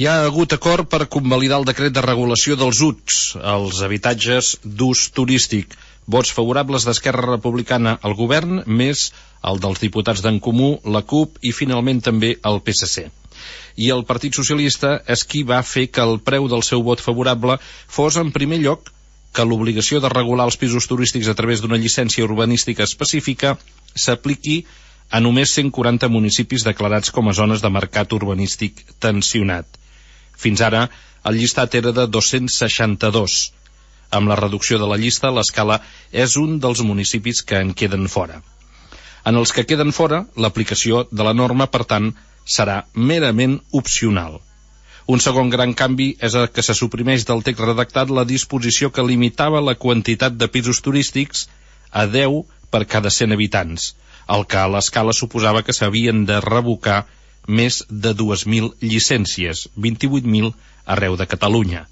Hi ha hagut acord per convalidar el decret de regulació dels UTS, els habitatges d'ús turístic. Vots favorables d'Esquerra Republicana al govern, més el dels diputats d'en Comú, la CUP i finalment també el PSC. I el Partit Socialista és qui va fer que el preu del seu vot favorable fos, en primer lloc, que l'obligació de regular els pisos turístics a través d'una llicència urbanística específica s'apliqui a només 140 municipis declarats com a zones de mercat urbanístic tensionat. Fins ara, el llistat era de 262. Amb la reducció de la llista, l'Escala és un dels municipis que en queden fora. En els que queden fora, l'aplicació de la norma, per tant, serà merament opcional. Un segon gran canvi és el que se suprimeix del text redactat la disposició que limitava la quantitat de pisos turístics a 10 per cada 100 habitants, el que a l'Escala suposava que s'havien de revocar més de 2.000 llicències, 28.000 arreu de Catalunya.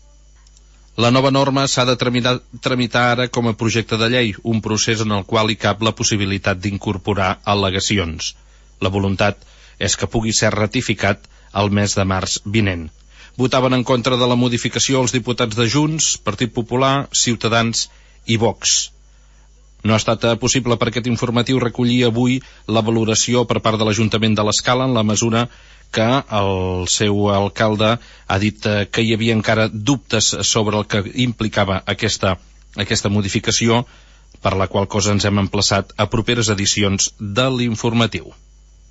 La nova norma s'ha de tramitar ara com a projecte de llei, un procés en el qual hi cap la possibilitat d'incorporar al·legacions. La voluntat és que pugui ser ratificat el mes de març vinent. Votaven en contra de la modificació els diputats de Junts, Partit Popular, Ciutadans i Vox. No ha estat possible per aquest informatiu recollir avui la valoració per part de l'Ajuntament de l'Escala en la mesura que el seu alcalde ha dit que hi havia encara dubtes sobre el que implicava aquesta modificació, per la qual cosa ens hem emplaçat a properes edicions de l'informatiu.